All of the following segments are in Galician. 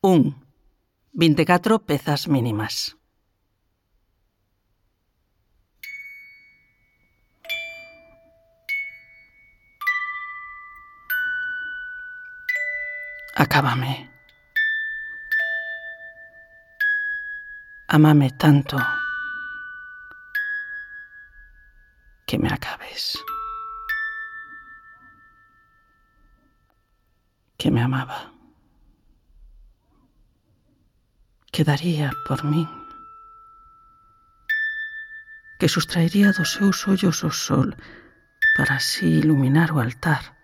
1. 24 pezas mínimas. Acábame. Ámame tanto que me acabes. Que me amaba. Que daría por min. Que sustraería dos seus ollos o sol para así iluminar o altar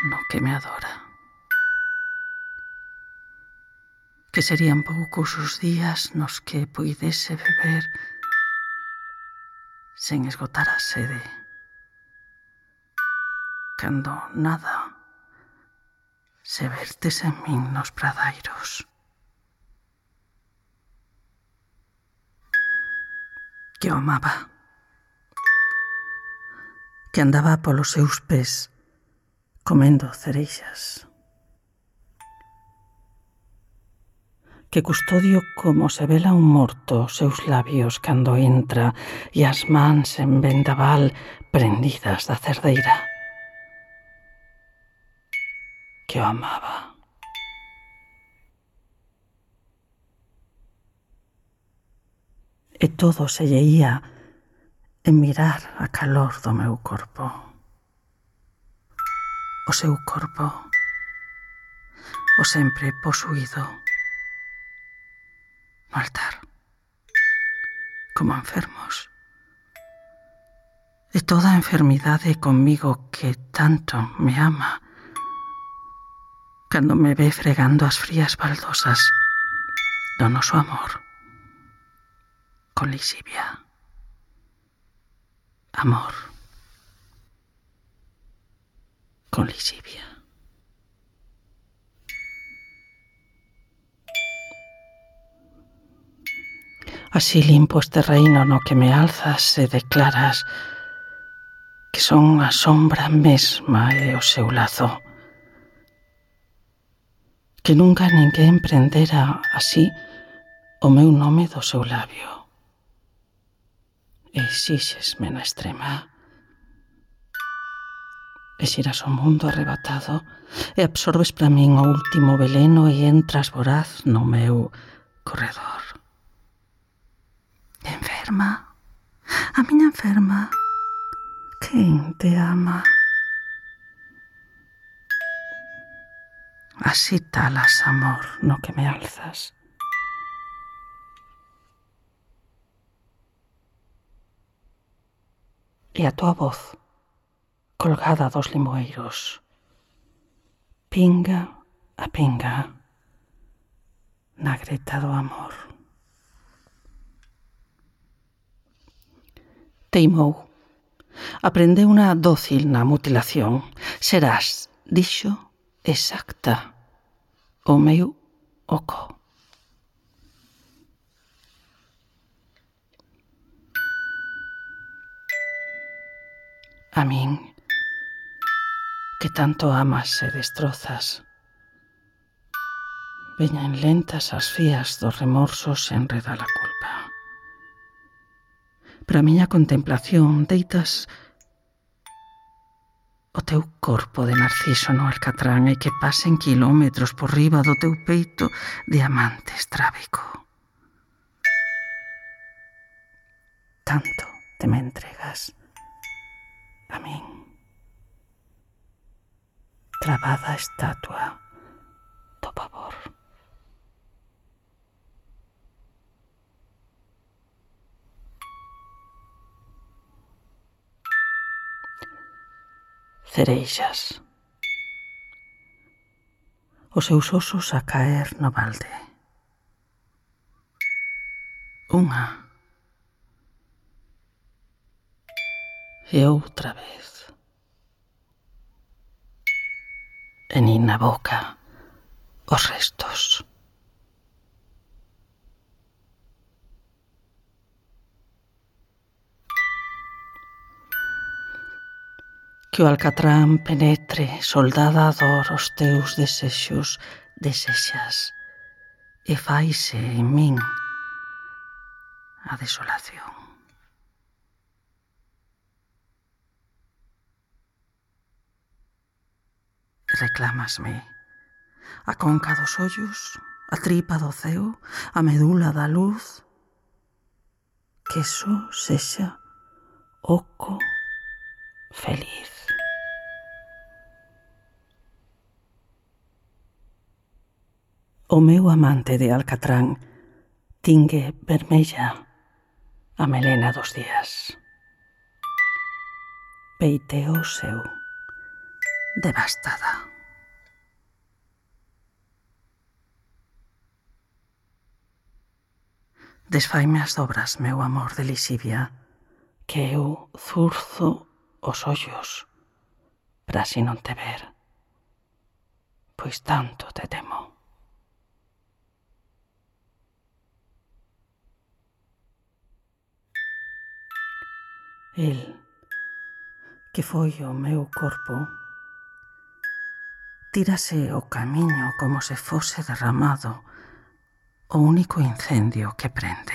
no que me adora. Que serían poucos os días nos que puidese beber sen esgotar a sede. Cando nada se vertes en min nos pradairos. Que o amaba. Que andaba polos seus pés comendo cereixas. Que custodio como se vela un morto os seus labios cando entra e as mans en vendaval prendidas da cerdeira. Que o amaba. E todo se lle ía en mirar a calor do meu corpo. O seu corpo, o sempre posuído, no altar, como enfermos. E toda a enfermidade comigo que tanto me ama, cando me ve fregando as frías baldosas do noso amor, con lixivia. Amor. Con lixivia. Así limpo este reino no que me alzas e declaras que son a sombra mesma e o seu lazo. Que nunca ninguén prendera así o meu nome do seu labio. E exíxesme na extrema. E xiras o mundo arrebatado e absorbes para min o último veleno e entras voraz no meu corredor. Enferma, a miña enferma, quen te ama? Así talas, amor, no que me alzas. E a tua voz, colgada dos limoeiros, pinga a pinga na greta do amor. Teimou. Aprendeu unha dócil na mutilación. Serás, dixo, exacta o meu oco. A min, que tanto amas e destrozas, veñan lentas as fías dos remorsos e enreda a culpa. Para a miña contemplación deitas o teu corpo de narciso no alcatrán e que pasen kilómetros por riba do teu peito diamante estrábico. Tanto te me entregas a min. Clavada estatua do pavor. Cereixas. Os seus osos a caer no balde. Unha. E outra vez. E nin na boca os restos. Que o alcatrán penetre, soldada a dor, os teus desexos desexas e faise en min a desolación. Reclámasme a conca dos ollos, a tripa do ceo, a medula da luz, que só sexa oco feliz. O meu amante de alcatrán tingue vermella a melena dos días. Peiteo seu, devastada. Desfaime as dobras, meu amor de lixivia, que eu zurzo os ollos para así non te ver, pois tanto te temo. El, que foi o meu corpo, tírase o camiño como se fose derramado o único incendio que prende.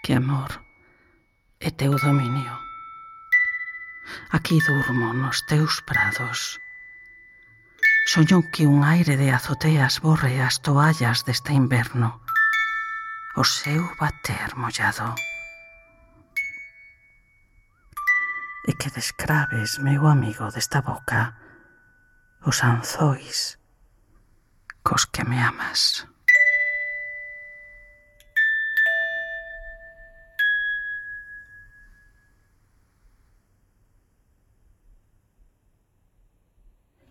Que amor é teu dominio. Aquí durmo nos teus prados. Soño que un aire de azoteas borre as toallas deste inverno, o seu bater mollado. E que descraves, meu amigo, desta boca, os anzois cos que me amas.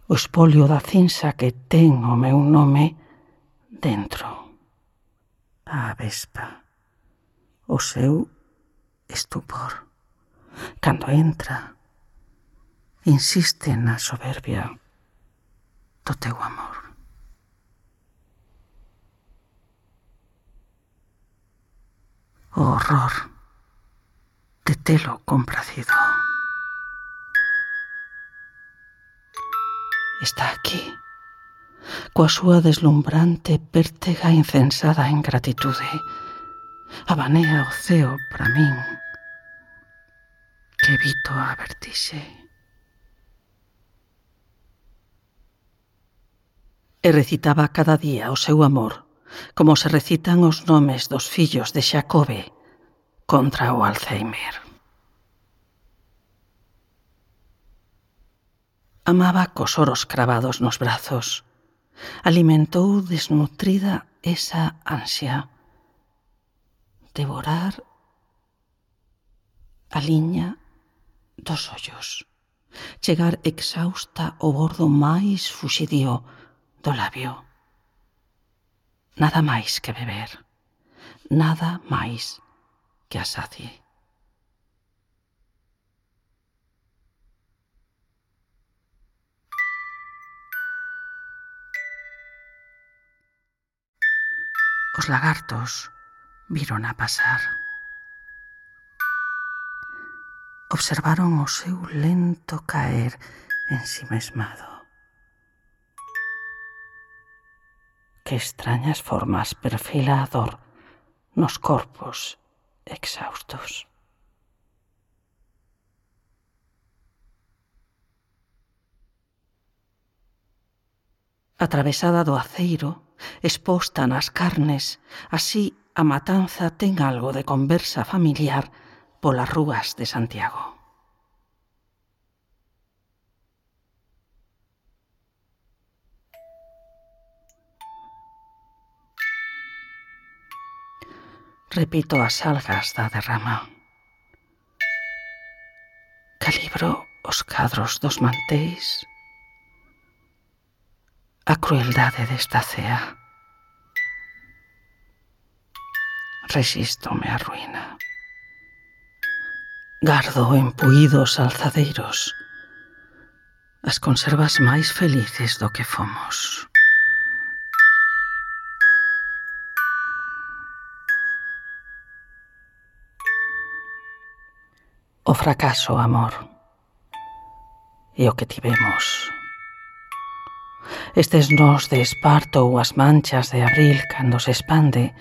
O espolio da cinza que ten o meu nome dentro. A avespa, o seu estupor. Cando entra, insiste na soberbia do teu amor. O horror de telo compracido. Está aquí, coa súa deslumbrante pértega incensada en gratitude. Abanea o ceo para min, que evito a vertixe. E recitaba cada día o seu amor, como se recitan os nomes dos fillos de Xacobe contra o Alzheimer. Amaba cos oros cravados nos brazos. Alimentou desnutrida esa ansia. Devorar a liña dos ollos. Chegar exhausta ao bordo máis fuxidío do labio. Nada máis que beber. Nada máis que a sacie. Os lagartos viron a pasar. Observaron o seu lento caer ensimesmado. Que extrañas formas perfila a dor nos corpos exhaustos. Atravesada do aceiro, exposta nas carnes, así a matanza ten algo de conversa familiar polas rúas de Santiago. Repito as algas da derrama. Calibro os cadros dos mantéis. A crueldade desta cea. Resístome á ruína. Gardo empuídos alzadeiros. as conservas máis felices do que fomos. O fracaso, amor, e o que tivemos. Estes nós de esparto ou as manchas de abril cando se expande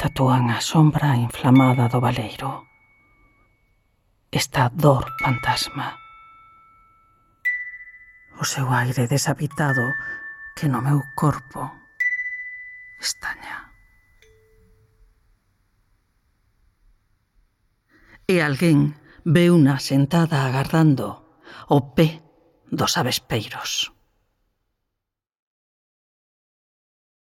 tatúan a sombra inflamada do baleiro. Esta dor fantasma. O seu aire deshabitado que no meu corpo estaña. E alguén veuna sentada agardando o pé dos avespeiros.